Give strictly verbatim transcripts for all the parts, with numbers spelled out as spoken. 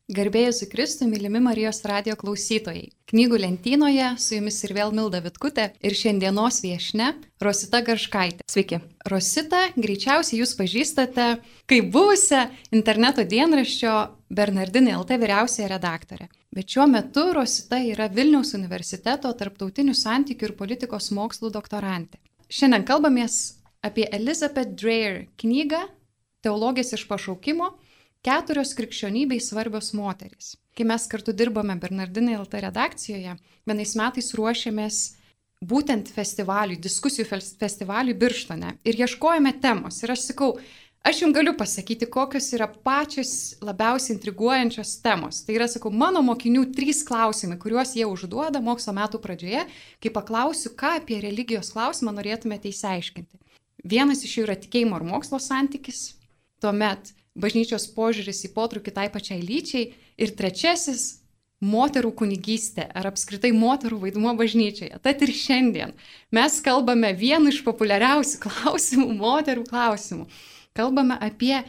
Garbėjus į Kristų, mylimi Marijos radijo klausytojai. Knygų lentynoje su jumis ir vėl Milda Vitkutė ir šiandienos viešnia Rosita Garškaitė. Sveiki. Rosita, greičiausiai jūs pažįstate kaip buvusią interneto dienraščio Bernardinai L T vyriausiąją redaktorę. Bet šiuo metu Rosita yra Vilniaus universiteto tarptautinių santykių ir politikos mokslų doktorantė. Šiandien kalbamės apie Elizabeth Dreher knygą Teologės iš pašaukimo. Keturios krikščionybei svarbios moterys. Kai mes kartu dirbome Bernardinai L T redakcijoje, vienais metais ruošėmės būtent festivaliui, diskusijų festivaliui Birštone ir ieškojome temos. Ir aš sakau, aš jums galiu pasakyti, kokios yra pačios labiausiai intriguojančios temos. Tai yra, sakau, mano mokinių trys klausimai, kuriuos jie užduoda mokslo metų pradžioje, kai paklausiu, ką apie religijos klausimą norėtumėte įsiaiškinti. Vienas iš jų yra tikėjimo ir mokslo santykis, tuomet bažnyčios požiūris į potraukį tai pačiai lyčiai ir trečiasis – moterų kunigystė ar apskritai moterų vaidmuo bažnyčioje. Tad ir šiandien mes kalbame vienu iš populiariausių klausimų, moterų klausimų. Kalbame apie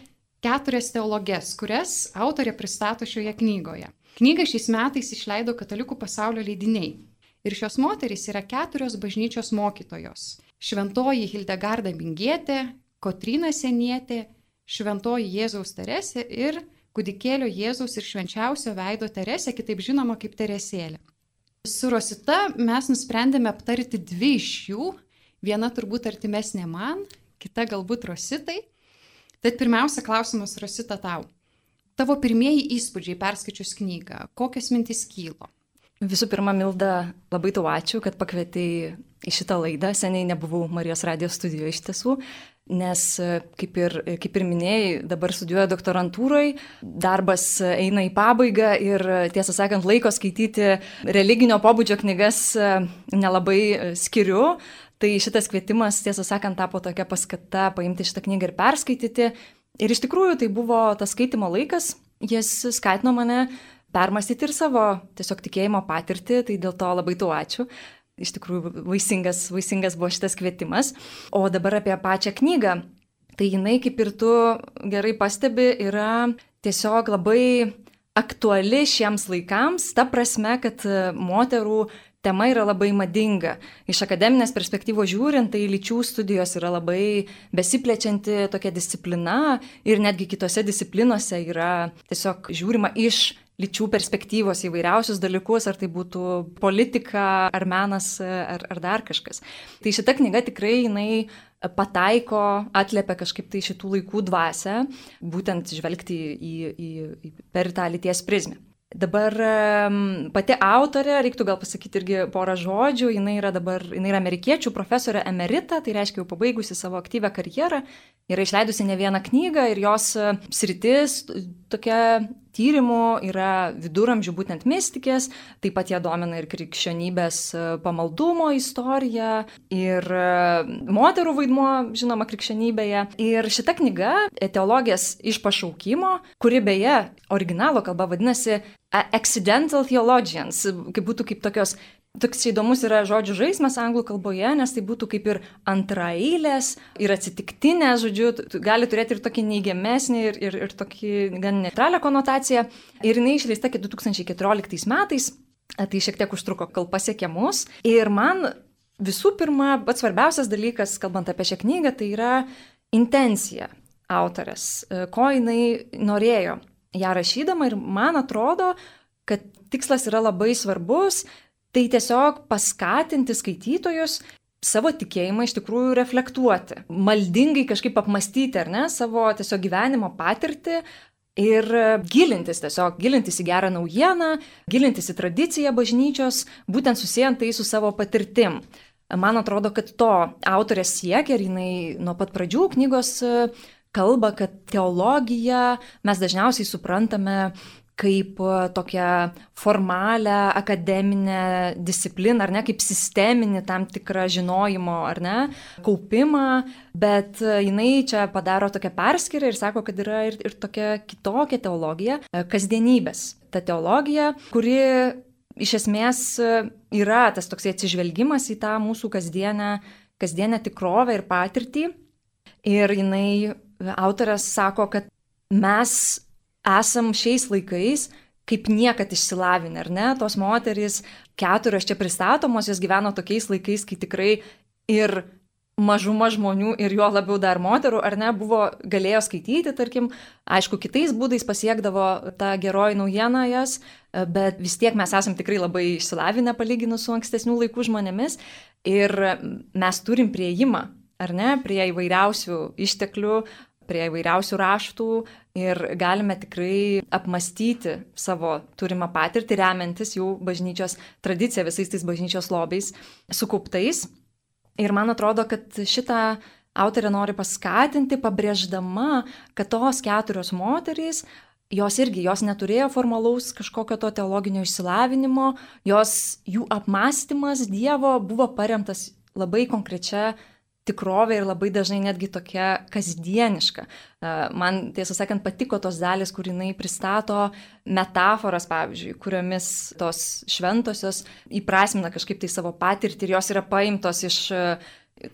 keturias teologės, kurias autorė pristato šioje knygoje. Knygą šiais metais išleido Katalikų pasaulio leidiniai. Ir šios moterys yra keturios bažnyčios mokytojos. Šventoji Hildegarda Mingietė, Kotryna Senietė, Šventoji Jėzaus Teresė ir kūdikėlio Jėzaus ir švenčiausio veido Teresė, kitaip žinoma kaip Teresėlė. Su Rosita mes nusprendėme aptarti dvi iš jų, viena turbūt artimesnė man, kita galbūt Rositai. Tad pirmiausia klausimas, Rosita, tau. Tavo pirmieji įspūdžiai perskaičius knygą, kokios mintys kylo? Visų pirma, Milda, labai tau ačiū, kad pakvietei į šitą laidą. Seniai nebuvau Marijos radijos studijoje iš tiesų. Nes, kaip ir, kaip ir minėjai, dabar studijuoju doktorantūrai, darbas eina į pabaigą ir, tiesą sakant, laiko skaityti religinio pobūdžio knygas nelabai skiriu. Tai šitas kvietimas, tiesą sakant, tapo tokia paskata paimti šitą knygą ir perskaityti. Ir iš tikrųjų tai buvo tas skaitimo laikas, jis skatino mane permastyti ir savo tiesiog tikėjimo patirtį, tai dėl to labai tau ačiū. Iš tikrųjų, vaisingas, vaisingas buvo šitas kvietimas. O dabar apie pačią knygą. Tai jinai, kaip ir tu gerai pastebi, yra tiesiog labai aktuali šiems laikams, ta prasme, kad moterų tema yra labai madinga. Iš akademinės perspektyvos žiūrint, tai lyčių studijos yra labai besiplečianti tokia disciplina ir netgi kitose disciplinose yra tiesiog žiūrima iš lyčių perspektyvos įvairiausius dalykus, ar tai būtų politika, ar menas, ar, ar dar kažkas. Tai šita knyga tikrai jinai pataiko, atliepia kažkaip tai šitų laikų dvasią, būtent žvelgti į, į, į, per tą lyties prizmę. Dabar pati autorė, reiktų gal pasakyti irgi porą žodžių, jinai yra dabar, jinai yra amerikiečių profesorė emerita, tai reiškia jau pabaigusi savo aktyvią karjerą, yra išleidusi ne vieną knygą ir jos sritis tokia tyrimų yra viduramžių būtent mistikės, taip pat ją domina ir krikščionybės pamaldumo istorija ir moterų vaidmuo, žinoma, krikščionybėje. Ir šita knyga Teologės iš pašaukimo, kuri beje originalo kalba vadinasi Accidental Theologians, kaip būtų kaip tokios, toks įdomus yra žodžių žaismas anglų kalboje, nes tai būtų kaip ir antraeilės ir atsitiktinės, žodžiu, gali turėti ir tokį neigiamesnį ir, ir, ir tokį gan neutralią konotaciją. Ir jinai išleista du tūkstančiai keturioliktais metais, tai šiek tiek užtruko, kol pasiekė mus. Ir man visų pirma, pats svarbiausias dalykas, kalbant apie šią knygą, tai yra intencija autorės, ko jinai norėjo ją rašydama ir man atrodo, kad tikslas yra labai svarbus. Tai tiesiog paskatinti skaitytojus savo tikėjimą iš tikrųjų reflektuoti, maldingai kažkaip apmastyti, ar ne, savo tiesiog gyvenimo patirtį ir gilintis tiesiog, gilintis į gerą naujieną, gilintis į tradiciją bažnyčios, būtent susijant tai su savo patirtim. Man atrodo, kad to autorė siekia ir jinai nuo pat pradžių knygos kalba, kad teologiją mes dažniausiai suprantame kaip tokią formalią akademinę discipliną, ar ne, kaip sisteminį tam tikrą žinojimo, ar ne, kaupimą, bet jinai čia padaro tokią perskyrą ir sako, kad yra ir, ir tokia kitokia teologija, kasdienybės. Ta teologija, kuri iš esmės yra tas toksai atsižvelgimas į tą mūsų kasdienę, kasdienę tikrovę ir patirtį. Ir jinai, autorės sako, kad mes esam šiais laikais kaip niekad išsilavinę, ar ne? Tos moterys, keturios čia pristatomos, jos gyveno tokiais laikais, kai tikrai ir mažuma žmonių ir juo labiau dar moterų, ar ne, buvo, galėjo skaityti, tarkim, aišku, kitais būdais pasiekdavo tą geroji naujiena jas, bet vis tiek mes esam tikrai labai išsilavinę palyginus su ankstesnių laikų žmonėmis ir mes turim prieimą, ar ne, prie įvairiausių išteklių, prie įvairiausių raštų ir galime tikrai apmastyti savo turimą patirtį, remiantis jų bažnyčios tradiciją, visais tais bažnyčios lobiais sukauptais. Ir man atrodo, kad šitą autorė nori paskatinti, pabrėždama, kad tos keturios moterys, jos irgi, jos neturėjo formalaus kažkokio to teologinio išsilavinimo, jos, jų apmąstymas Dievo buvo paremtas labai konkrečia tikrovė ir labai dažnai netgi tokia kasdieniška. Man, tiesą sakant, patiko tos dalys, kur jinai pristato metaforas, pavyzdžiui, kuriomis tos šventosios įprasmina kažkaip tai savo patirtį ir jos yra paimtos iš,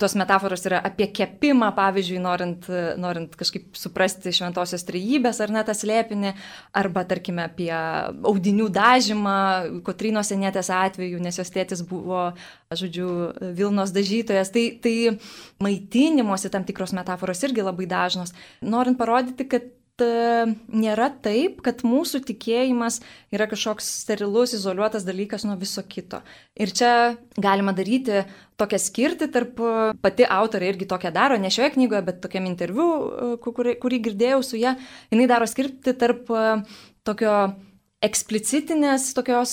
tos metaforos yra apie kepimą, pavyzdžiui, norint, norint kažkaip suprasti šventosios trejybės ar net tą slėpinį, arba, tarkime, apie audinių dažymą, Kotrynos Senietės atveju, nes jos tėtis buvo, žodžiu, Vilnos dažytojas. Tai, tai maitinimosi tam tikros metaforos irgi labai dažnos. Norint parodyti, kad nėra taip, kad mūsų tikėjimas yra kažkoks sterilus, izoliuotas dalykas nuo viso kito. Ir čia galima daryti tokią skirtį tarp, pati autorė irgi tokią daro, ne šioje knygoje, bet tokiam interviu, kurį, kurį girdėjau su ją, jinai daro skirtį tarp tokio eksplicitinės tokios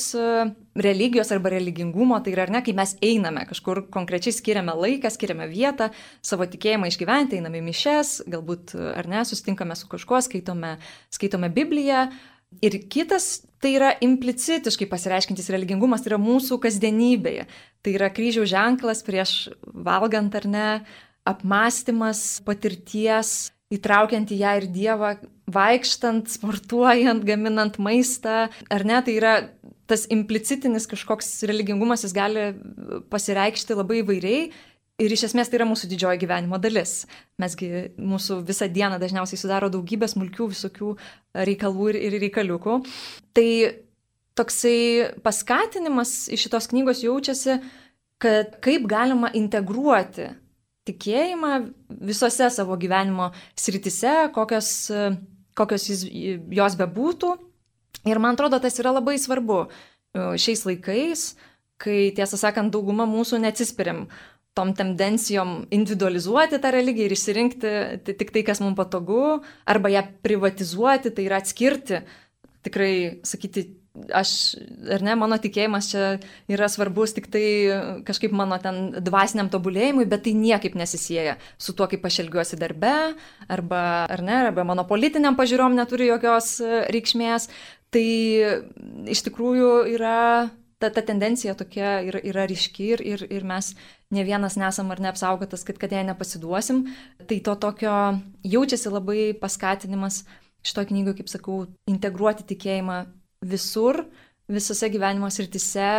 religijos arba religingumo, tai yra, ar ne, kai mes einame kažkur konkrečiai, skiriame laiką, skiriame vietą, savo tikėjimą išgyventi, einame į mišes, galbūt, ar ne, susitinkame su kažkuo, skaitome, skaitome Bibliją. Ir kitas, tai yra implicitiškai pasireiškintis religingumas, tai yra mūsų kasdienybėje. Tai yra kryžiaus ženklas prieš valgant, ar ne, apmąstymas patirties, įtraukiant į ją ir Dievą, vaikštant, sportuojant, gaminant maistą, ar ne, tai yra tas implicitinis kažkoks religingumas, jis gali pasireikšti labai įvairiai ir iš esmės tai yra mūsų didžioji gyvenimo dalis. Mesgi mūsų visą dieną dažniausiai sudaro daugybė smulkių visokių reikalų ir, ir reikaliukų. Tai toksai paskatinimas iš šitos knygos jaučiasi, kad kaip galima integruoti tikėjimą visose savo gyvenimo sritise, kokios, kokios jis, jos bebūtų. Ir man atrodo, tas yra labai svarbu šiais laikais, kai, tiesą sakant, dauguma mūsų neatsispiriam tom tendencijom individualizuoti tą religiją ir išsirinkti tik tai, kas mums patogu, arba ją privatizuoti, tai yra atskirti, tikrai sakyti, aš, ar ne, mano tikėjimas čia yra svarbus tik tai kažkaip mano ten dvasiniam tobulėjimui, bet tai niekaip nesisieja su tuo, kaip aš elgiuosi darbe, arba, ar ne, arba mano politiniam pažiūrom neturi jokios reikšmės. Tai iš tikrųjų yra, ta, ta tendencija tokia yra, yra ryški ir, ir, ir mes ne vienas nesam ar neapsaugotas, kad, kad jai nepasiduosim. Tai to tokio jaučiasi labai paskatinimas šito knygoje, kaip sakau, integruoti tikėjimą visur, visose gyvenimo srityse.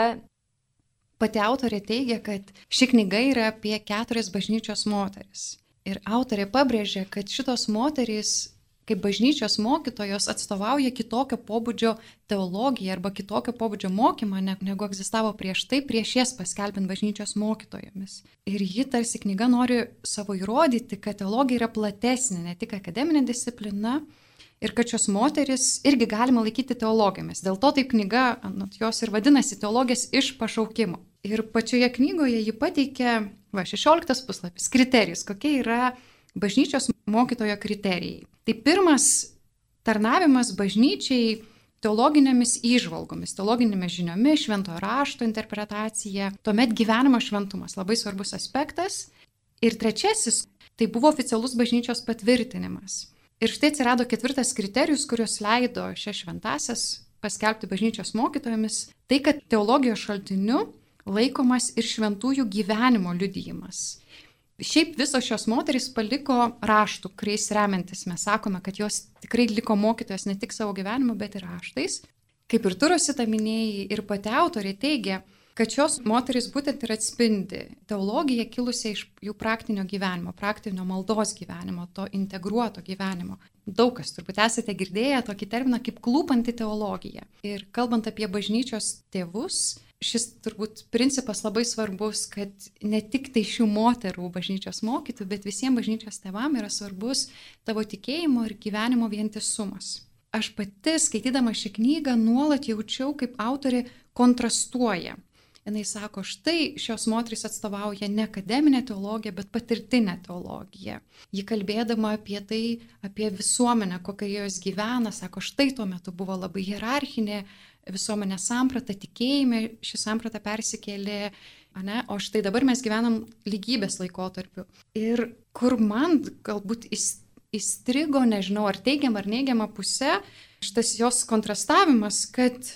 Pati autorė teigia, kad ši knyga yra apie keturias bažnyčios moteris. Ir autorė pabrėžia, kad šitos moterys, kaip bažnyčios mokytojos, atstovauja kitokio pobūdžio teologiją arba kitokio pobūdžio mokymą, negu egzistavo prieš tai, prieš jas paskelbint bažnyčios mokytojomis. Ir ji tarsi knyga nori savo įrodyti, kad teologija yra platesnė, ne tik akademinė disciplina, ir kad šios moteris irgi galima laikyti teologijomis. Dėl to taip knyga, anot jos ir vadinasi, teologės iš pašaukimo. Ir pačioje knygoje ji pateikia, va, šešioliktas puslapis, kriterijus, kokie yra bažnyčios mokytojo kriterijai. Tai pirmas tarnavimas bažnyčiai teologinėmis įžvalgomis, teologinėmis žiniomis, šventojo rašto interpretacija, tuomet gyvenimo šventumas, labai svarbus aspektas. Ir trečiasis, tai buvo oficialus bažnyčios patvirtinimas. Ir štai atsirado ketvirtas kriterijus, kurios leido šias šventasias paskelbti bažnyčios mokytojomis, tai kad teologijos šaltiniu laikomas ir šventųjų gyvenimo liudijimas. Šiaip visos šios moterys paliko raštų, kuriais remiantis mes sakome, kad jos tikrai liko mokytojos ne tik savo gyvenimu, bet ir raštais. Kaip ir tu, Rosita, minėjai, ir pati autorė teigia, kad šios moterys būtent ir atspindi teologiją kilusią iš jų praktinio gyvenimo, praktinio maldos gyvenimo, to integruoto gyvenimo. Daug kas turbūt esate girdėję tokį terminą kaip klūpanti teologija. Ir kalbant apie bažnyčios tėvus, šis turbūt principas labai svarbus, kad ne tik tai šių moterų bažnyčios mokytų, bet visiems bažnyčios tėvam yra svarbus tavo tikėjimo ir gyvenimo vientisumas. Aš pati, skaitydama šią knygą, nuolat jaučiau, kaip autorė kontrastuoja. Jis sako, štai šios moterys atstovauja ne akademinę teologiją, bet patirtinę teologiją. Ji kalbėdama apie tai, apie visuomenę, kokia jos gyvena, sako, štai tuo metu buvo labai hierarchinė visuomenė samprata, tikėjime, ši samprata persikėlė, ne? O štai dabar mes gyvenam lygybės laikotarpiu. Ir kur man galbūt įstrigo, nežinau, ar teigiama ar neigiama pusė, šitas jos kontrastavimas, kad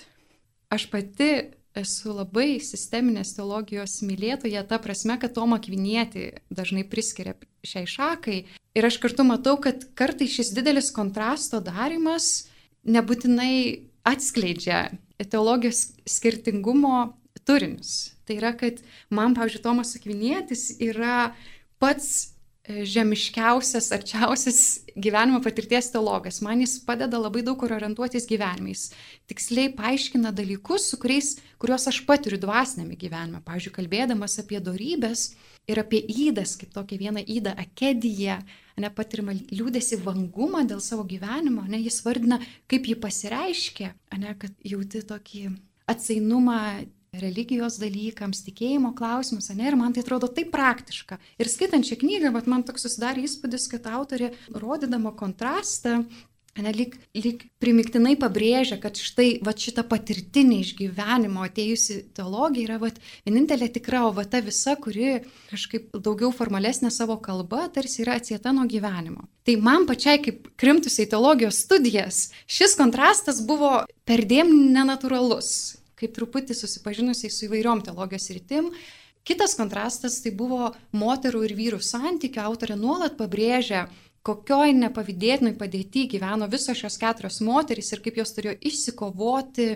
aš pati esu labai sisteminės teologijos mylėtoja, ta prasme, kad Tomą Akvinietį dažnai priskiria šiai šakai. Ir aš kartu matau, kad kartais šis didelis kontrasto darimas nebūtinai atskleidžia teologijos skirtingumo turinius. Tai yra, kad man, pavyzdžiui, Tomas Akvinietis yra pats žemiškiausias, arčiausias gyvenimo patirties teologas. Man jis padeda labai daug kur orientuotis gyvenimais. Tiksliai paaiškina dalykus, su kuriais, kuriuos aš patiriu dvasinėme gyvenime. Pavyzdžiui, kalbėdamas apie dorybės ir apie įdas, kaip tokia viena įda akedija, nepatirimą liūdėsi vangumą dėl savo gyvenimo, ne, jis vardina, kaip jį pasireiškia, ne, kad jauti tokį atsainumą religijos dalykams, tikėjimo klausimus, ne, ir man tai atrodo taip praktiška. Ir skaitant šią knygą, bet man toks susidarė įspūdis, kad autorė, rodydama kontrastą, ne, lyg, lyg primiktinai pabrėžia, kad štai va, šita patirtinė iš gyvenimo atėjusi teologija yra va, vienintelė tikra, o va, ta visa, kuri kažkaip daugiau formalesnė savo kalba, tarsi yra atsieta nuo gyvenimo. Tai man pačiai, kaip krimtusiai teologijos studijas, šis kontrastas buvo perdėm nenatūralus, kaip truputį susipažinusiai su įvairiom teologijos rytim. Kitas kontrastas tai buvo moterų ir vyrų santykių. Autorė nuolat pabrėžia, kokioj nepavydėtinoj padėty gyveno visos šios keturios moterys ir kaip jos turėjo išsikovoti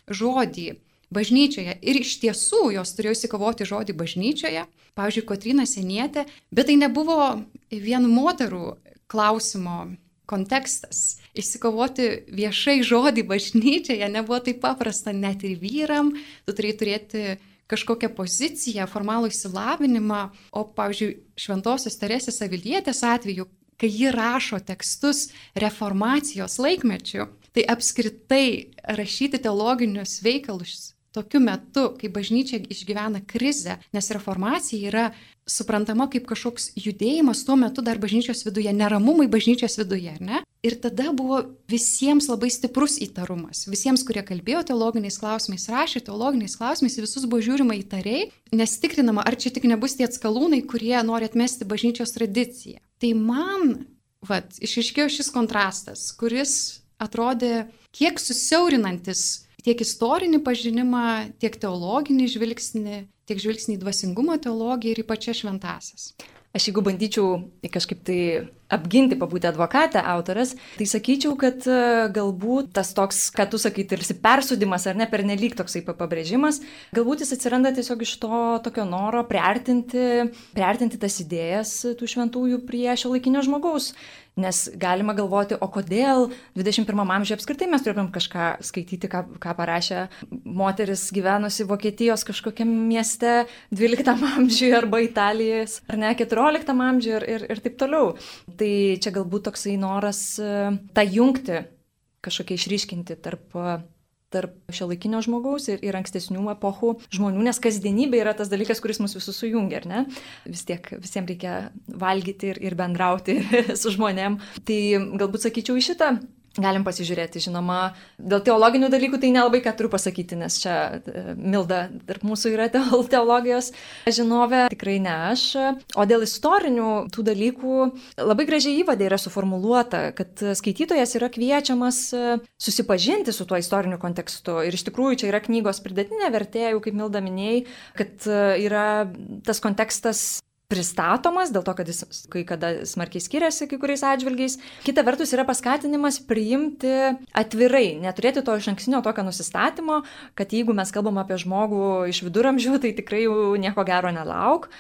žodį bažnyčioje. Ir iš tiesų jos turėjo išsikovoti žodį bažnyčioje. Pavyzdžiui, Kotryna Sienietė, bet tai nebuvo vien moterų klausimo kontekstas. Išsikovoti viešai žodį bažnyčioje nebuvo taip paprasta net ir vyram, tu turėjai turėti kažkokią poziciją, formalų išsilavinimą, o, pavyzdžiui, Šventosios Teresės Avilietės atveju, kai ji rašo tekstus reformacijos laikmečiu, tai apskritai rašyti teologinius veikalus tokiu metu, kai bažnyčia išgyvena krizę, nes reformacija yra suprantama kaip kažkoks judėjimas tuo metu dar bažnyčios viduje, neramumai bažnyčios viduje, ne? Ir tada buvo visiems labai stiprus įtarumas. Visiems, kurie kalbėjo teologiniais klausimais, rašė teologiniais klausimais, visus buvo žiūrima įtariai, nes tikrinama, ar čia tik nebus tie atskalūnai, kurie nori atmesti bažnyčios tradiciją. Tai man, vat, išaiškėjo šis kontrastas, kuris atrodė kiek susiaurinantis tiek istorinį pažinimą, tiek teologinį žvilgsnį, tiek žvilgsnį į dvasingumo teologiją ir į pačias šventąsias. Aš jeigu bandyčiau kažkaip tai apginti, pabūti advokatę autorės, tai sakyčiau, kad galbūt tas toks, ką tu sakai, tarsi persūdymas ar ne, pernelyg toksai pabrėžimas, galbūt jis atsiranda tiesiog iš to tokio noro priartinti, priartinti tas idėjas tų šventųjų prie šiuolaikinio žmogaus. Nes galima galvoti, o kodėl dvidešimt pirmam amžiuje apskritai mes turėtumėm kažką skaityti, ką, ką parašė moteris gyvenusi Vokietijos kažkokiam mieste dvyliktam amžiuje arba Italijos, ar ne, keturioliktam amžiuje ir, ir, ir taip toliau. Tai čia galbūt toksai noras tą jungti, kažkokiai išryškinti tarp, tarp šiuolaikinio žmogaus ir, ir ankstesnių epochų žmonių, nes kasdienybė yra tas dalykas, kuris mus visus sujungia, ar ne? Vis tiek visiems reikia valgyti ir, ir bendrauti su žmonėm. Tai galbūt sakyčiau į šitą. Galim pasižiūrėti, žinoma, dėl teologinių dalykų tai nelabai ką turiu pasakyti, nes čia Milda tarp mūsų yra teologijos žinovė, tikrai ne aš. O dėl istorinių tų dalykų labai gražiai įvade yra suformuluota, kad skaitytojas yra kviečiamas susipažinti su tuo istoriniu kontekstu. Ir iš tikrųjų čia yra knygos pridėtinė vertė, jau kaip Milda minėjai, kad yra tas kontekstas pristatomas, dėl to, kad jis kai kada smarkiai skiriasi kai kuriais atžvilgiais. Kita vertus yra paskatinimas priimti atvirai, neturėti to išankstinio tokio nusistatymo, kad jeigu mes kalbam apie žmogų iš viduramžių, tai tikrai jau nieko gero nelauk,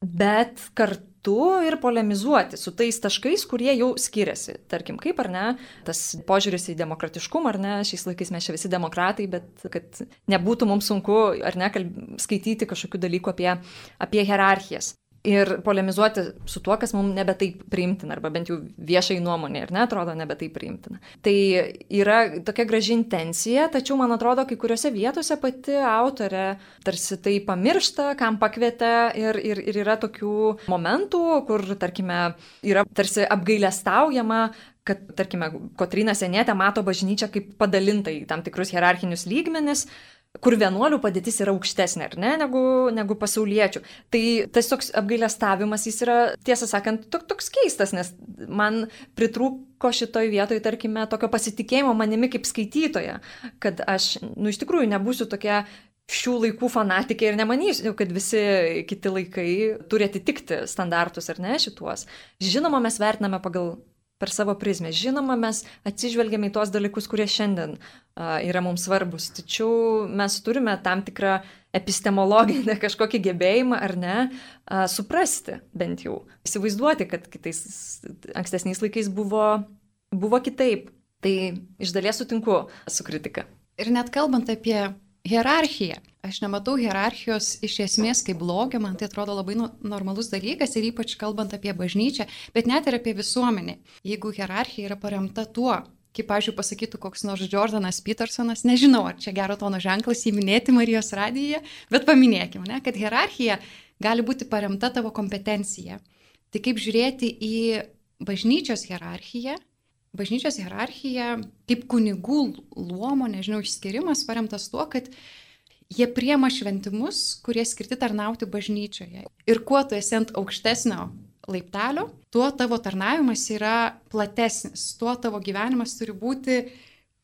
bet kartu ir polemizuoti su tais taškais, kurie jau skiriasi. Tarkim, kaip ar ne, tas požiūris į demokratiškumą, ar ne, šiais laikais mes čia visi demokratai, bet kad nebūtų mums sunku, ar ne, kalb... skaityti kažkokių dalykų apie, apie hierarchijas. Ir polemizuoti su tuo, kas mums nebe taip priimtina, arba bent jau viešai nuomonė, ir netrodo nebe taip priimtina. Tai yra tokia graži intencija, tačiau man atrodo, kai kuriuose vietose pati autorė tarsi tai pamiršta, kam pakvietė, ir, ir, ir yra tokių momentų, kur, tarkime, yra tarsi apgailestaujama, kad, tarkime, Kotryna Sienietė mato bažnyčią kaip padalintą į tam tikrus hierarchinius lygmenis, kur vienuolių padėtis yra aukštesnė, ar ne, negu, negu pasauliečių. Tai tas toks apgailestavimas, jis yra, tiesą sakant, tok, toks keistas, nes man pritrūko šitoj vietoj, tarkime, tokio pasitikėjimo manimi kaip skaitytoja, kad aš, nu, iš tikrųjų nebūsiu tokia šių laikų fanatikė ir nemanysiu, kad visi kiti laikai turi atitikti standartus, ar ne, šituos. Žinoma, mes vertiname pagal per savo prizmę. Žinoma, mes atsižvelgiame į tuos dalykus, kurie šiandien uh, yra mums svarbus. Tačiau mes turime tam tikrą epistemologinę kažkokį gebėjimą, ar ne, uh, suprasti bent jau. Įsivaizduoti, kad kitais ankstesniais laikais buvo, buvo kitaip. Tai iš dalies sutinku su kritika. Ir net kalbant apie hierarchiją. Aš nematau hierarchijos iš esmės kaip blogio, man tai atrodo labai normalus dalykas ir ypač kalbant apie bažnyčią, bet net ir apie visuomenę. Jeigu hierarchija yra paremta tuo, kaip, pavyzdžiui, pasakytų koks nors Jordanas Petersonas, nežinau, ar čia gero tono ženklas įminėti Marijos radijoje, bet paminėkime, ne, kad hierarchija gali būti paremta tavo kompetencija. Tai kaip žiūrėti į bažnyčios hierarchiją, bažnyčios hierarchija kaip kunigų luomo, nežinau, išskirimas paremtas tuo, kad jie priema šventimus, kurie skirti tarnauti bažnyčioje. Ir kuo tu esi ant aukštesnio laiptelio, tuo tavo tarnavimas yra platesnis, tuo tavo gyvenimas turi būti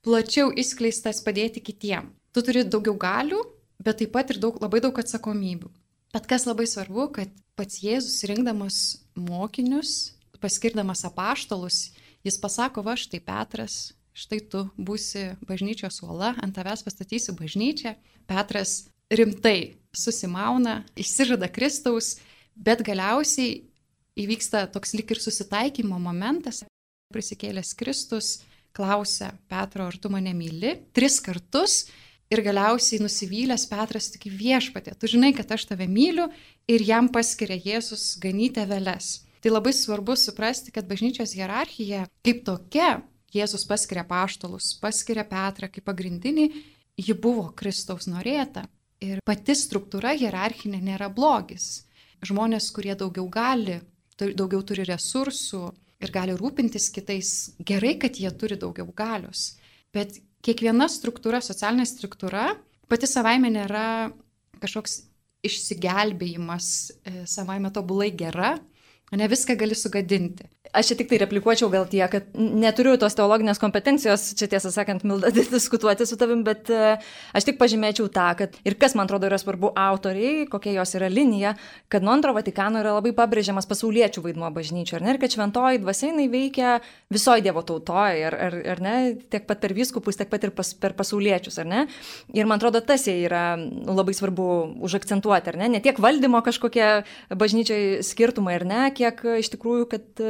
plačiau išskleistas padėti kitiem. Tu turi daugiau galių, bet taip pat ir daug, labai daug atsakomybių. Bet kas labai svarbu, kad pats Jėzus rinkdamas mokinius, paskirdamas apaštalus, jis pasako, va, štai Petras, štai tu būsi bažnyčios uola, ant tavęs pastatysiu bažnyčią. Petras rimtai susimauna, išsižada Kristaus, bet galiausiai įvyksta toks lyg ir susitaikymo momentas. Prisikėlęs Kristus klausia Petro, ar tu mane myli? Tris kartus ir galiausiai nusivylęs Petras tik viešpatie. Tu žinai, kad aš tave myliu ir jam paskiria Jėzus ganyti aveles. Tai labai svarbu suprasti, kad bažnyčios hierarchija kaip tokia, Jėzus paskiria apaštalus, paskiria Petrą kaip pagrindinį, ji buvo Kristaus norėta. Ir pati struktūra hierarchinė nėra blogis. Žmonės, kurie daugiau gali, daugiau turi resursų ir gali rūpintis kitais, gerai, kad jie turi daugiau galios. Bet kiekviena struktūra, socialinė struktūra, pati savaime nėra kažkoks išsigelbėjimas, savaime tobulai gera, ne viską gali sugadinti. Aš čia tik tai replikuočiau gal tie, kad neturiu tos teologinės kompetencijos, čia tiesą sakant, Milda, diskutuoti su tavim, bet aš tik pažymėčiau tą, kad ir kas, man atrodo, yra svarbu autoriai, kokia jos yra linija, kad nuo antro Vatikano yra labai pabrėžiamas pasauliečių vaidmuo bažnyčio, ar ne, ir kad šventoji dvasia jinai veikia visoje Dievo tautoje, ar, ar, ar ne, tiek pat per vyskupus, tiek pat ir pas, per pasauliečius, ar ne. Ir man atrodo, tas yra labai svarbu užakcentuoti, ar ne, ne tiek valdymo kažkokie bažnyčiai skirtumai, ar ne, kiek iš tikrųjų, kad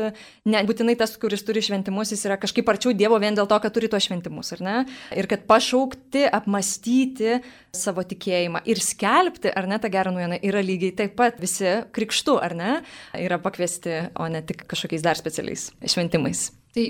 ne būtinai tas, kuris turi šventimus, jis yra kažkaip arčiau Dievo vien dėl to, kad turi tuos šventimus, ar ne? Ir kad pašaukti, apmastyti savo tikėjimą ir skelbti, ar ne, tą gerą naujieną, yra lygiai taip pat visi krikštu, ar ne, yra pakviesti, o ne tik kažkokiais dar specialiais šventimais. Tai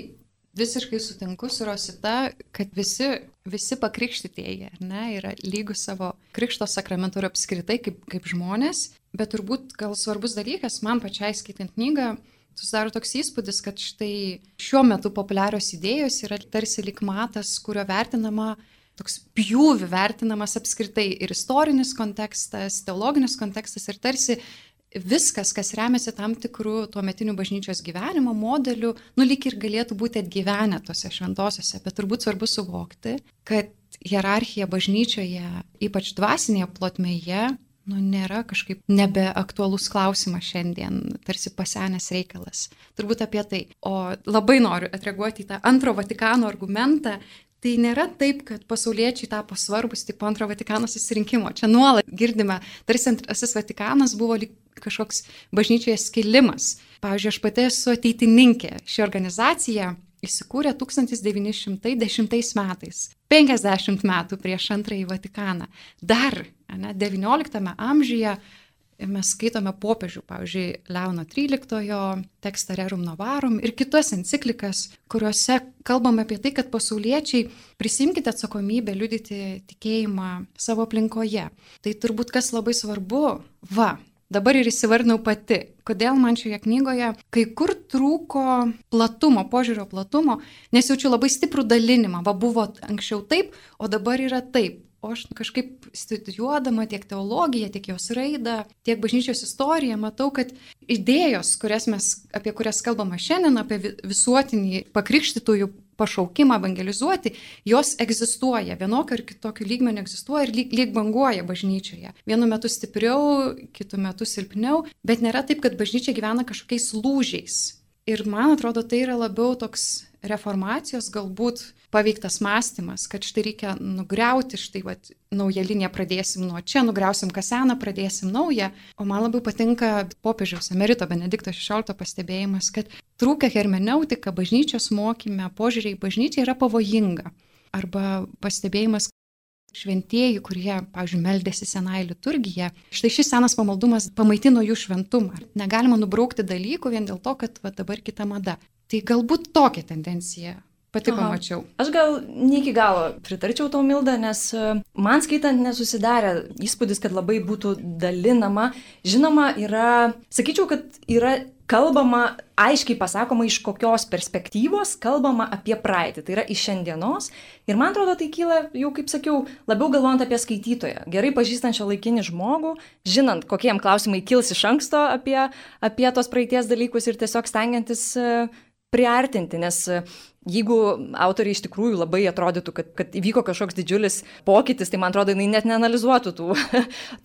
visiškai sutinku su Rosita, kad visi, visi pakrikštytieji, ar ne, yra lygus savo krikšto sakramentu ir apskritai kaip, kaip žmonės, bet turbūt gal svarbus dalykas, man pačiai skaitant knygą, susidaro toks įspūdis, kad štai šiuo metu populiarios idėjos yra tarsi lyg matas, kurio vertinama, toks pjūvi vertinamas apskritai ir istorinis kontekstas, teologinis kontekstas ir tarsi viskas, kas remiasi tam tikrų tuometinių bažnyčios gyvenimo modelių, nu lyg ir galėtų būti atgyvenę tose šventosiuose, bet turbūt svarbu suvokti, kad hierarchija bažnyčioje, ypač dvasinėje plotmėje, nu, nėra kažkaip nebeaktualus klausimas šiandien, tarsi pasenęs reikalas. Turbūt apie tai. O labai noriu atreaguoti į tą antro Vatikano argumentą. Tai nėra taip, kad pasauliečiai tapo svarbus tik po antro Vatikano susirinkimo. Čia nuolat girdime, tarsi antrasis Vatikanas buvo lyg kažkoks bažnyčioje skilimas. Pavyzdžiui, aš pati esu ateitininkė. Ši organizacija įsikūrė tūkstantis devyni šimtai dešimtais metais, penkiasdešimt metų prieš antrąjį Vatikaną. Dar ne, devynioliktame amžiuje mes skaitome popiežių, pavyzdžiui, Leono tryliktojo tekstą Rerum Novarum ir kitas enciklikas, kuriuose kalbame apie tai, kad pasauliečiai prisimkite atsakomybę liudyti tikėjimą savo aplinkoje. Tai turbūt kas labai svarbu, va, dabar ir įsivardinau pati, kodėl man šioje knygoje kai kur trūko platumo, požiūrio platumo, nes jaučiu labai stiprų dalinimą, va buvo anksčiau taip, o dabar yra taip. O aš kažkaip studijuodama tiek teologiją, tiek jos raidą, tiek bažnyčios istoriją, matau, kad idėjos, kurias mes, apie kurias kalbame šiandien, apie visuotinį pakrikštytųjų pašaukimą evangelizuoti, jos egzistuoja, vienokio ar kitokio lygmenio egzistuoja ir lyg, lyg banguoja bažnyčioje. Vienu metu stipriau, kitu metu silpniau, bet nėra taip, kad bažnyčia gyvena kažkokiais lūžiais. Ir man atrodo, tai yra labiau toks reformacijos galbūt paveiktas mąstymas, kad štai reikia nugriauti, štai vat, naują liniją pradėsim nuo čia, nugriausim ką seną, pradėsim naują. O man labai patinka popiežiaus emerito Benedikto šešioliktojo pastebėjimas, kad trūkia hermeneutika bažnyčios mokyme, požiūriai į bažnyčią yra pavojinga. Arba pastebėjimas, šventieji, kurie, pavyzdžiui, meldėsi senąją liturgiją, štai šis senas pamaldumas pamaitino jų šventumą. Negalima nubraukti dalykų vien dėl to, kad va, dabar kita mada. Tai galbūt tokia tendencija pati Aha. pamačiau. Aš gal ne iki galo pritarčiau tau, Milda, nes man skaitant nesusidarė įspūdis, kad labai būtų dalinama. Žinoma, yra, sakyčiau, kad yra kalbama, aiškiai pasakoma, iš kokios perspektyvos kalbama apie praeitį. Tai yra iš šiandienos. Ir man atrodo, tai kyla, jau kaip sakiau, labiau galvojant apie skaitytoją. Gerai pažįstančią laikinį žmogų, žinant, kokie jam klausimai kils iš anksto apie, apie tos praeities dalykus ir tiesiog stengiantis priartinti, nes jeigu autoriai iš tikrųjų labai atrodytų, kad, kad įvyko kažkoks didžiulis pokytis, tai man atrodo, jinai net neanalizuotų tų,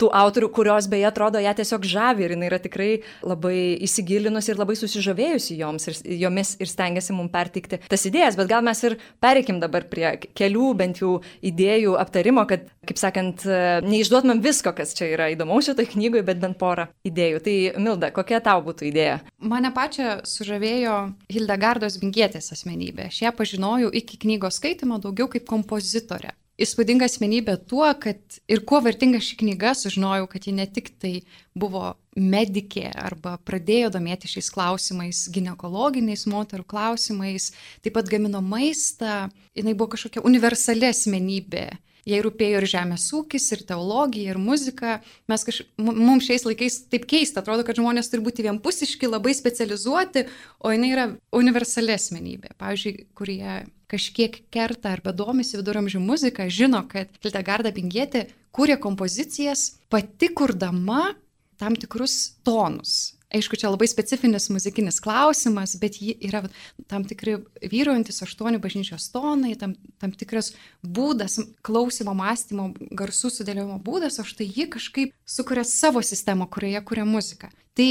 tų autorių, kurios beje atrodo ją tiesiog žavi ir jinai yra tikrai labai įsigilinusi ir labai susižavėjusi joms ir, jomis ir stengiasi mums perteikti tas idėjas, bet gal mes ir pereikim dabar prie kelių bent jau idėjų aptarimo, kad, kaip sakant, neišduotumėm visko, kas čia yra įdomaus šitoj knygoje, bet bent porą idėjų. Tai Milda, kokia tau būtų idėja? Mane pačią sužavėjo Hildegardos Bingietės asmenybė. Aš ją pažinojau iki knygos skaitimo daugiau kaip kompozitorė. Įspūdinga asmenybė tuo, kad ir kuo vertinga ši knyga, sužinojau, kad ji ne tik tai buvo medikė arba pradėjo domėti šiais klausimais, ginekologiniais moterų klausimais, taip pat gamino maistą, jinai buvo kažkokia universali asmenybė. Jai rūpėjo ir žemės ūkis, ir teologija, ir muzika. Mes kaž... Mums šiais laikais taip keista, atrodo, kad žmonės turi būti vienpusiški, labai specializuoti, o jinai yra universali asmenybė. Pavyzdžiui, kurie kažkiek kerta arba domisi viduramžių muzika, žino, kad Hildegarda Bingietė kūrė kompozicijas pati kurdama tam tikrus tonus. Aišku, čia labai specifinis muzikinis klausimas, bet ji yra tam tikri vyraujantis aštuonių bažnyčios tonai, tam, tam tikras būdas, klausimo, mąstymo, garsų sudėliojimo būdas, o štai ji kažkaip sukuria savo sistemą, kurioje kuria muziką. Tai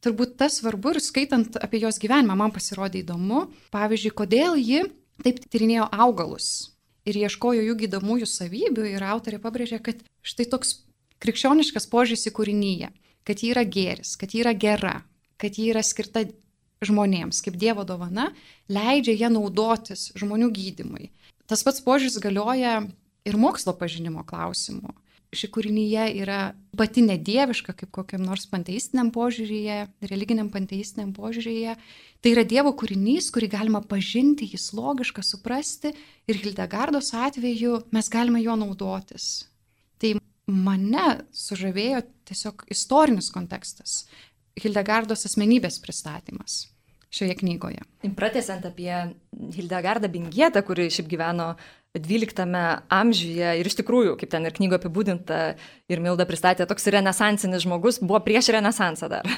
turbūt tas svarbu ir skaitant apie jos gyvenimą man pasirodė įdomu. Pavyzdžiui, kodėl ji taip tyrinėjo augalus ir ieškojo jų gydomųjų savybių ir autorė pabrėžė, kad štai toks krikščioniškas požiūris į kūrinyje, kad ji yra gėris, kad ji yra gera, kad ji yra skirta žmonėms, kaip Dievo dovana, leidžia ją naudotis žmonių gydymui. Tas pats požiūris galioja ir mokslo pažinimo klausimu. Ši kūrinyje yra pati nedieviška, kaip kokiam nors panteistiniam požiūryje, religiniam panteistiniam požiūryje. Tai yra Dievo kūrinys, kurį galima pažinti, jis logiška, suprasti ir Hildegardos atveju mes galime juo naudotis. Tai mane sužavėjo tiesiog istorinis kontekstas, Hildegardos asmenybės pristatymas šioje knygoje. Pratęsiant apie Hildegardą Bingietę, kuri šiaip gyveno dvyliktame amžiuje ir iš tikrųjų, kaip ten ir knygoje apibūdinta ir Milda pristatė, toks renesansinis žmogus, buvo prieš renesansą dar.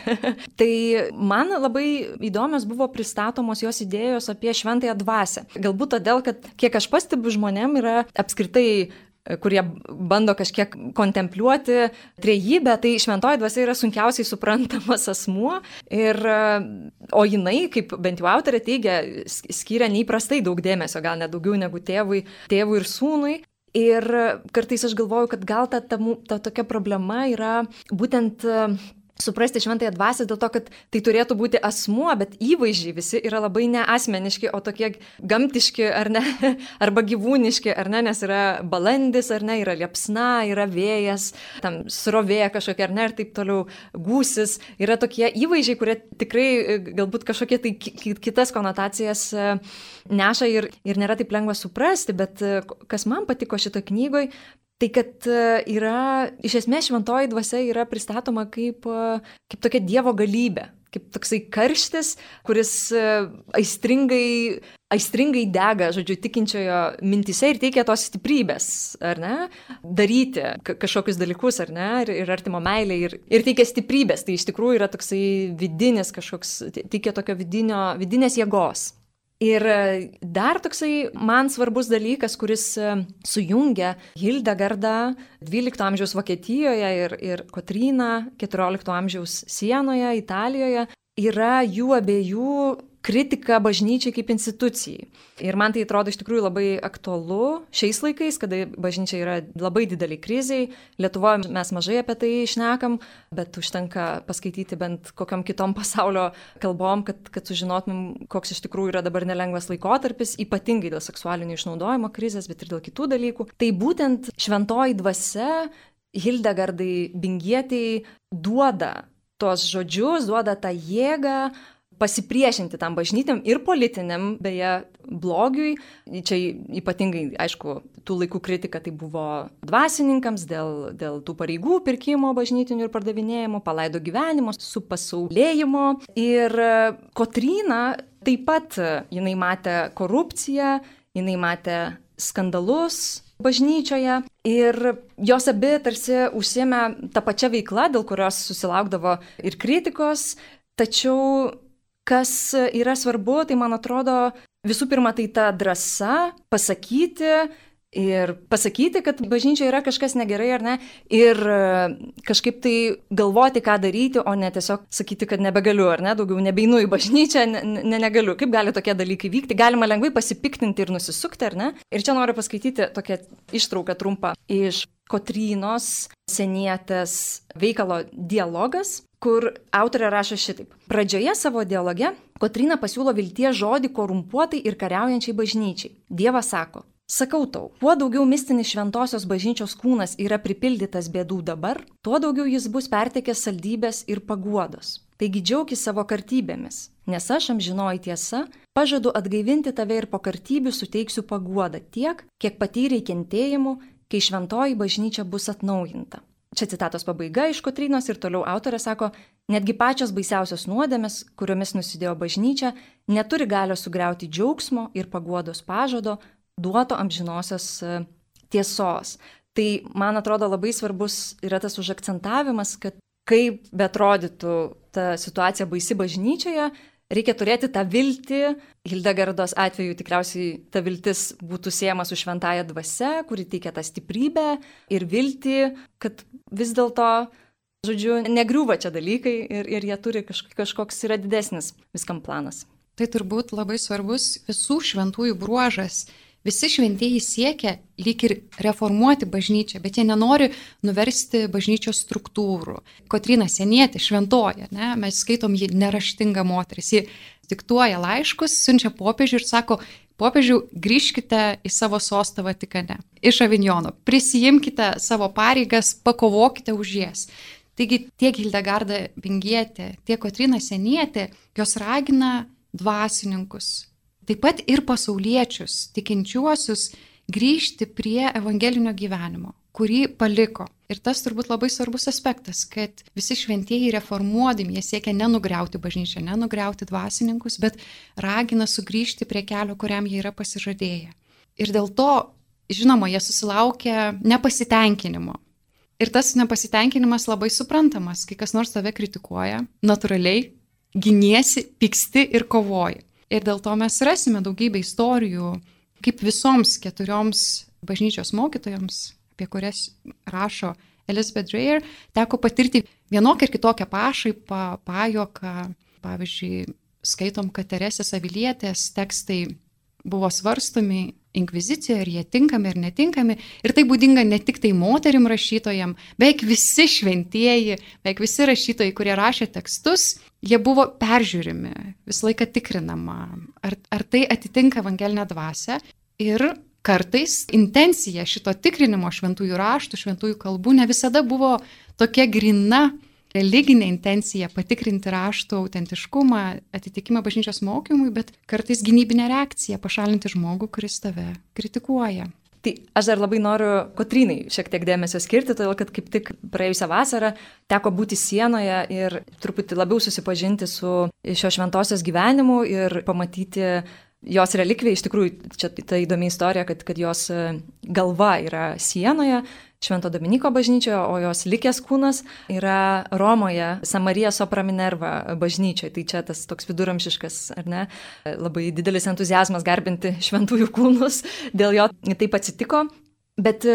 Tai man labai įdomios buvo pristatomos jos idėjos apie šventąją dvasią. Galbūt todėl, kad kiek aš pastebiu žmonėm yra apskritai kurie bando kažkiek kontempliuoti trejybę, tai šventoji dvasia yra sunkiausiai suprantamas asmuo. Ir, o jinai, kaip bent jau autorė teigia, skiria neįprastai daug dėmesio, gal net daugiau negu tėvui, tėvui ir sūnui. Ir kartais aš galvoju, kad gal ta, ta, ta tokia problema yra būtent suprasti šventąją dvasią dėl to, kad tai turėtų būti asmuo, bet įvaizdžiai visi yra labai neasmeniški, o tokie gamtiški ar ne, arba gyvūniški, ar ne, nes yra balandis, ar ne, yra liepsna, yra vėjas, tam srovė kažkokia, ar ne, ir taip toliau gūsis. Yra tokie įvaizdžiai, kurie tikrai galbūt kažkokie tai kitas konotacijas neša ir, ir nėra taip lengva suprasti, bet kas man patiko šito knygoj, tai kad yra, iš esmės šventoji dvasia yra pristatoma kaip, kaip tokia Dievo galybė, kaip toksai karštis, kuris aistringai, aistringai dega, žodžiu, tikinčiojo mintise ir teikia tos stiprybės, ar ne, daryti kažkokius dalykus, ar ne, ir, ir artimo meilė, ir, ir teikia stiprybės, tai iš tikrųjų yra toksai vidinis kažkoks, teikia tokio vidinio, vidinės jėgos. Ir dar toksai man svarbus dalykas, kuris sujungia Hildegardą dvylikto amžiaus Vokietijoje ir, ir Kotryną keturiolikto amžiaus Sienoje, Italijoje, yra jų abiejų kritika bažnyčiai kaip institucijai. Ir man tai atrodo iš tikrųjų labai aktualu šiais laikais, kada bažnyčia yra labai dideliai kriziai. Lietuvoje mes mažai apie tai šnekam, bet užtenka paskaityti bent kokiam kitom pasaulio kalbom, kad, kad sužinotumėm, koks iš tikrųjų yra dabar nelengvas laikotarpis, ypatingai dėl seksualinio išnaudojimo krizės, bet ir dėl kitų dalykų. Tai būtent šventoji dvasia Hildegardai Bingietei duoda tos žodžius, duoda tą jėgą pasipriešinti tam bažnytiniam ir politiniam, beje, blogiui. Čia ypatingai, aišku, tų laikų kritika tai buvo dvasininkams dėl, dėl tų pareigų pirkimo bažnytinių ir pardavinėjimo, palaido gyvenimo, supasaulėjimo. Ir Kotryna taip pat, jinai matė korupciją, jinai matė skandalus bažnyčioje ir jos abi tarsi užsiėmė tą pačią veiklą, dėl kurios susilaukdavo ir kritikos, tačiau kas yra svarbu, tai man atrodo, visų pirma, tai ta drąsa pasakyti ir pasakyti, kad bažnyčioje yra kažkas negerai ar ne, ir kažkaip tai galvoti, ką daryti, o ne tiesiog sakyti, kad nebegaliu ar ne, daugiau nebeinu į bažnyčią, ne, ne, negaliu. Kaip gali tokie dalykai vykti? Galima lengvai pasipiktinti ir nusisukti, ar ne? Ir čia noriu paskaityti tokią ištrauką trumpą iš Kotrynos Senietės veikalo Dialogas, kur autorė rašo šitaip. Pradžioje savo dialoge Kotryna pasiūlo vilties žodį korumpuotai ir kariaujančiai bažnyčiai. Dievas sako, sakau tau, kuo daugiau mistinis šventosios bažnyčios kūnas yra pripildytas bėdų dabar, tuo daugiau jis bus pertekęs saldybės ir paguodos. Taigi džiaukis savo kartybėmis, nes aš amžinoji tiesa, pažadu atgaivinti tave ir po kartybių suteiksiu paguodą tiek, kiek patyrei kentėjimų, kai šventoji bažnyčia bus atnaujinta. Čia citatos pabaiga iš Kotrynos ir toliau autorė sako, netgi pačios baisiausios nuodėmės, kuriomis nusidėjo bažnyčia, neturi galios sugriauti džiaugsmo ir paguodos pažado, duoto amžinosios tiesos. Tai, man atrodo, labai svarbus yra tas užakcentavimas, kad kaip beatrodytų ta situacija baisi bažnyčioje, reikia turėti tą viltį. Hildegardos atveju tikriausiai ta viltis būtų siejama su šventąja dvasia, kuri teikia tą stiprybę ir viltį, kad vis dėlto, žodžiu, negriūva čia dalykai ir, ir jie turi kažkoks, kažkoks yra didesnis viskam planas. Tai turbūt labai svarbus visų šventųjų bruožas. Visi šventieji siekia lyg ir reformuoti bažnyčią, bet jie nenori nuversti bažnyčios struktūrų. Kotryna Senietė, šventoja, ne? Mes skaitom jį neraštinga moteris. Ji diktuoja laiškus, siunčia popiežiui ir sako, popiežiau, grįžkite į savo sostą Vatikane, iš Avinjono, prisijimkite savo pareigas, pakovokite už jas. Taigi tiek Hildegarda Bingietė, tiek Kotryna Senietė, jos ragina dvasininkus, taip pat ir pasauliečius, tikinčiuosius, grįžti prie evangelinio gyvenimo, kurį paliko. Ir tas turbūt labai svarbus aspektas, kad visi šventieji reformuodami, jie siekia nenugriauti bažnyčią, nenugriauti dvasininkus, bet ragina sugrįžti prie kelio, kuriam jie yra pasižadėję. Ir dėl to, žinoma, jie susilaukia nepasitenkinimo. Ir tas nepasitenkinimas labai suprantamas, kai kas nors tave kritikuoja, natūraliai giniesi, pyksti ir kovoji. Ir dėl to mes rasime daugybę istorijų, kaip visoms keturioms bažnyčios mokytojoms, apie kurias rašo Elizabeth Dreyer, teko patirti vienokią ir kitokią pašaipą, pajuoką. Pavyzdžiui, skaitom, kad Teresės Avilietės tekstai buvo svarstomi inkvizicijoje, ar jie tinkami ar netinkami. Ir tai būdinga ne tik tai moterim rašytojam, beveik visi šventieji, beveik visi rašytojai, kurie rašė tekstus, jie buvo peržiūrimi, visą laiką tikrinama, ar, ar tai atitinka evangelinę dvasią. Ir kartais intencija šito tikrinimo šventųjų raštų, šventųjų kalbų ne visada buvo tokia grina religinė intencija patikrinti raštų autentiškumą, atitikimą bažnyčios mokymui, bet kartais gynybinė reakcija pašalinti žmogų, kuris tave kritikuoja. Tai aš dar labai noriu Kotrynai šiek tiek dėmesio skirti, todėl kad kaip tik praėjusią vasarą teko būti Sienoje ir truputį labiau susipažinti su šio šventosios gyvenimu ir pamatyti jos relikviją. Iš tikrųjų, čia ta įdomi istorija, kad, kad jos galva yra Sienoje, Švento Dominiko bažnyčioje, o jos likęs kūnas yra Romoje, San Marija Sopra Minerva bažnyčioje. Tai čia tas toks viduramžiškas, ar ne, labai didelis entuziazmas garbinti šventųjų kūnus, dėl jo taip atsitiko. Bet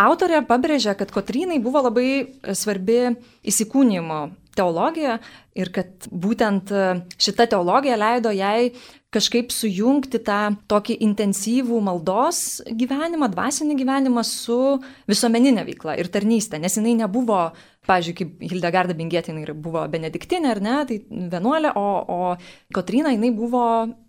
autorė pabrėžia, kad Kotrynai buvo labai svarbi įsikūnijimo teologija ir kad būtent šita teologija leido jai kažkaip sujungti tą tokį intensyvų maldos gyvenimą, dvasinį gyvenimą su visuomeninė veikla ir tarnystė, nes jinai nebuvo, pavyzdžiui, kaip Hildegarda Bingėtė, jinai buvo benediktinė, ar ne, tai vienuolė, o, o Kotryna jinai buvo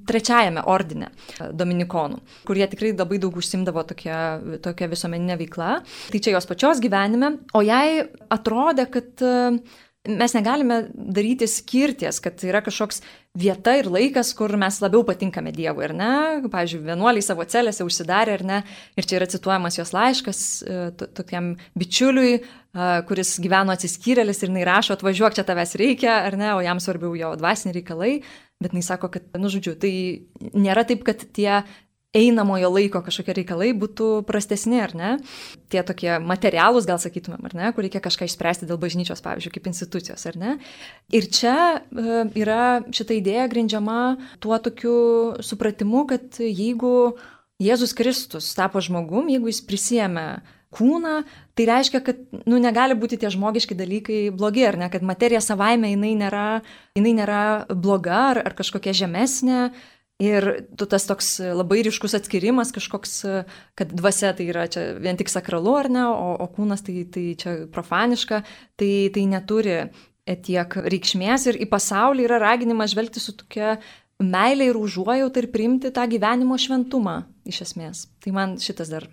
trečiajame ordine dominikonų, kurie tikrai labai daug užsimdavo tokia, tokia visuomeninė veikla. Tai čia jos pačios gyvenime, o jai atrodė, kad mes negalime daryti skirties, kad yra kažkoks vieta ir laikas, kur mes labiau patinkame Dievui, ar ne? Pavyzdžiui, vienuoliai savo celėse užsidarė, ar ne? Ir čia yra cituojamas jos laiškas tokiam bičiuliui, kuris gyveno atsiskyrėlis ir jinai rašo, atvažiuok, čia tavęs reikia, ar ne? O jam svarbiau jo dvasiniai reikalai. Bet jinai sako, kad, nu žodžiu, tai nėra taip, kad tie einamojo laiko kažkokie reikalai būtų prastesni, ar ne? Tie tokie materialūs, gal sakytumėm, ar ne? Kur reikia kažką išspręsti dėl bažnyčios, pavyzdžiui, kaip institucijos, ar ne? Ir čia yra šita idėja grindžiama tuo tokiu supratimu, kad jeigu Jėzus Kristus tapo žmogum, jeigu jis prisėmė kūną, tai reiškia, kad nu, negali būti tie žmogiški dalykai blogi, ar ne? Kad materija savaime jinai nėra, jinai nėra bloga ar, ar kažkokia žemesnė. Ir tas toks labai ryškus atskirimas kažkoks, kad dvasia tai yra čia vien tik sakralu, ar ne, o, o kūnas tai, tai čia profaniška, tai, tai neturi tiek reikšmės ir į pasaulį yra raginimas žvelgti su tokia meilė ir užuojauta ir priimti tą gyvenimo šventumą iš esmės. Tai man šitas dar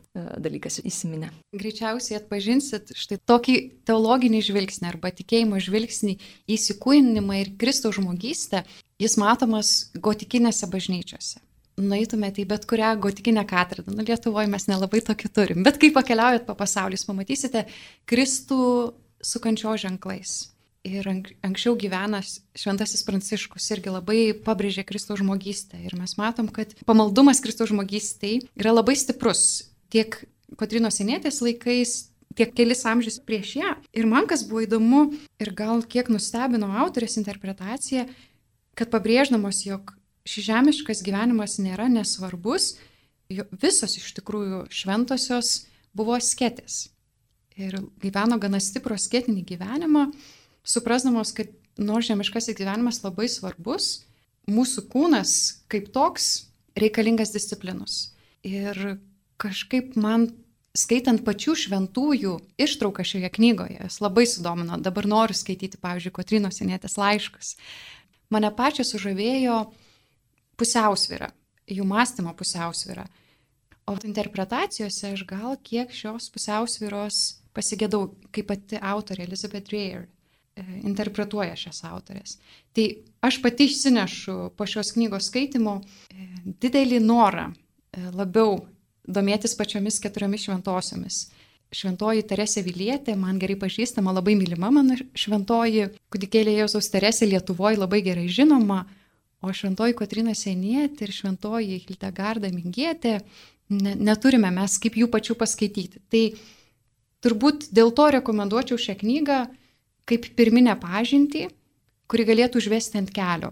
dalykas įsiminė. Greičiausiai atpažinsit štai tokį teologinį žvilgsnį arba tikėjimo žvilgsnį į įsikūnymą ir Kristaus žmogystę. Jis matomas gotikinėse bažnyčiose. Nueitumėte į bet kurią gotikinę katedrą. Nu, Lietuvoje mes nelabai tokį turim. Bet kai pakeliaujat po pasaulį, jūs pamatysite Kristų su kančios ženklais. Ir anksčiau gyvenas Šventasis Pranciškus irgi labai pabrėžė Kristaus žmogystę. Ir mes matom, kad pamaldumas Kristaus žmogystei yra labai stiprus. Tiek Kotrynos Sienietės laikais, tiek kelis amžius prieš ją. Ir man kas buvo įdomu ir gal kiek nustebino autorės interpretacija, kad pabrėždamos, jog šis žemiškas gyvenimas nėra nesvarbus, visos iš tikrųjų šventosios buvo asketės. Ir gyveno gana stiprų asketinį gyvenimą, suprasdamos, kad nors žemiškasis gyvenimas labai svarbus, mūsų kūnas kaip toks reikalingas disciplinus. Ir kažkaip man, skaitant pačių šventųjų ištrauką šioje knygoje, jas labai sudomino. Dabar noriu skaityti, pavyzdžiui, Kotrynos Sienietės laiškus. Mane pačią sužavėjo pusiausvyra, jų mąstymo pusiausvyra. O interpretacijose aš gal kiek šios pusiausvyros pasigėdau, kaip pati autorė Elizabeth Dreyer interpretuoja šias autorės. Tai aš pati išsinešu po šios knygos skaitimo didelį norą labiau domėtis pačiomis keturiomis šventosiomis. Šventoji Teresė Avilietė, man gerai pažįstama, labai mylima mano šventoji kūdikėlė Jėzaus Teresė Lietuvoje labai gerai žinoma, o šventoji Kotryna Sienietė ir šventoji Hildegarda Bingėtė ne, neturime mes kaip jų pačių paskaityti. Tai turbūt dėl to rekomenduočiau šią knygą kaip pirminę pažintį, kuri galėtų užvesti ant kelio.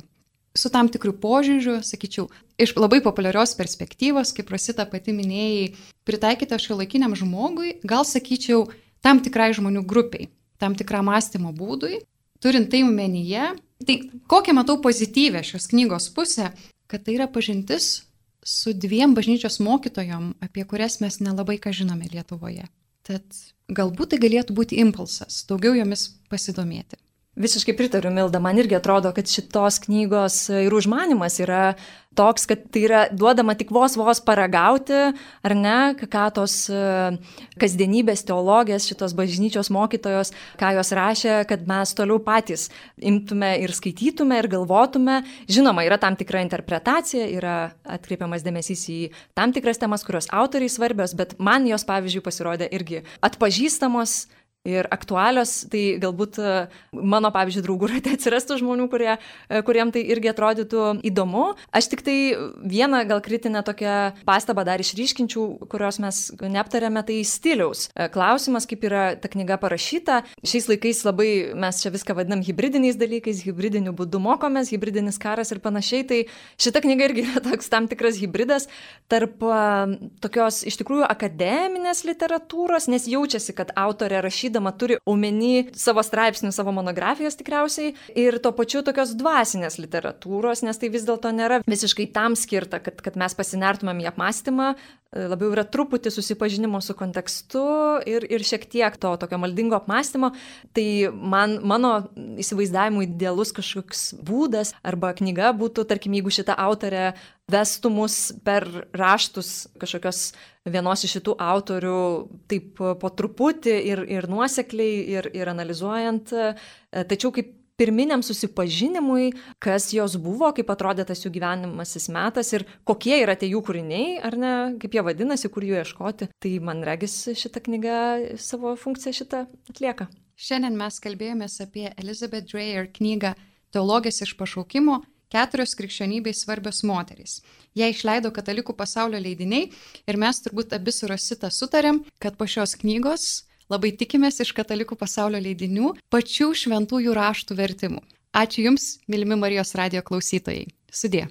Su tam tikrų požiūrių, sakyčiau, iš labai populiarios perspektyvos, kaip Rosita pati minėjai, pritaikyta šiuolaikiniam žmogui, gal sakyčiau, tam tikrai žmonių grupiai, tam tikram mąstymo būdui, turint tai omenyje. Tai kokią matau pozityvę šios knygos pusę, kad tai yra pažintis su dviem bažnyčios mokytojom, apie kurias mes nelabai ką žinome Lietuvoje. Tad galbūt tai galėtų būti impulsas, daugiau jomis pasidomėti. Visiškai pritariu, Milda, man irgi atrodo, kad šitos knygos ir užmanimas yra toks, kad tai yra duodama tik vos vos paragauti, ar ne, ką tos kasdienybės teologės, šitos bažnyčios mokytojos, ką jos rašė, kad mes toliau patys imtume ir skaitytume ir galvotume. Žinoma, yra tam tikra interpretacija, yra atkreipiamas dėmesys į tam tikras temas, kurios autoriai svarbios, bet man jos, pavyzdžiui, pasirodė irgi atpažįstamos ir aktualios, tai galbūt mano, pavyzdžiui, draugų rate atsirastų žmonių, kurie, kuriem tai irgi atrodytų įdomu. Aš tik tai vieną gal kritinę tokią pastabą dar išryškinčiau, kurios mes neaptarėme, tai stiliaus klausimas, kaip yra ta knyga parašyta. Šiais laikais labai mes čia viską vadinam hibridiniais dalykais, hibridiniu būdu mokomės, hibridinis karas ir panašiai, tai šita knyga irgi yra toks tam tikras hibridas tarp tokios iš tikrųjų akademinės literatūros, nes jaučiasi, kad autorė rašydama turi omeny savo straipsnių, savo monografijos tikriausiai ir tuo pačiu tokios dvasinės literatūros, nes tai vis dėlto nėra visiškai tam skirta, kad, kad mes pasinertumėm į apmąstymą, labiau yra truputį susipažinimo su kontekstu ir, ir šiek tiek to tokio maldingo apmąstymo. Tai man, mano įsivaizdavimu idealus kažkoks būdas arba knyga būtų, tarkim, jeigu šita autorė vestų mus per raštus kažkokios vienos iš šitų autorių taip po truputį ir, ir nuosekliai ir, ir analizuojant, tačiau kaip pirminiam susipažinimui, kas jos buvo, kaip atrodė tas jų gyvenimasis metas ir kokie yra tie jų kūriniai, ar ne, kaip jie vadinasi, kur jų ieškoti. Tai man regis šita knyga savo funkciją šitą atlieka. Šiandien mes kalbėjomės apie Elizabeth Dreyer knygą Teologės iš pašaukimo – keturios krikščionybei svarbios moterys. Ją išleido Katalikų pasaulio leidiniai ir mes turbūt abi su Rosita sutarėm, kad po šios knygos labai tikimės iš Katalikų pasaulio leidinių pačių šventųjų raštų vertimų. Ačiū Jums, mylimi Marijos radijo klausytojai. Sudie.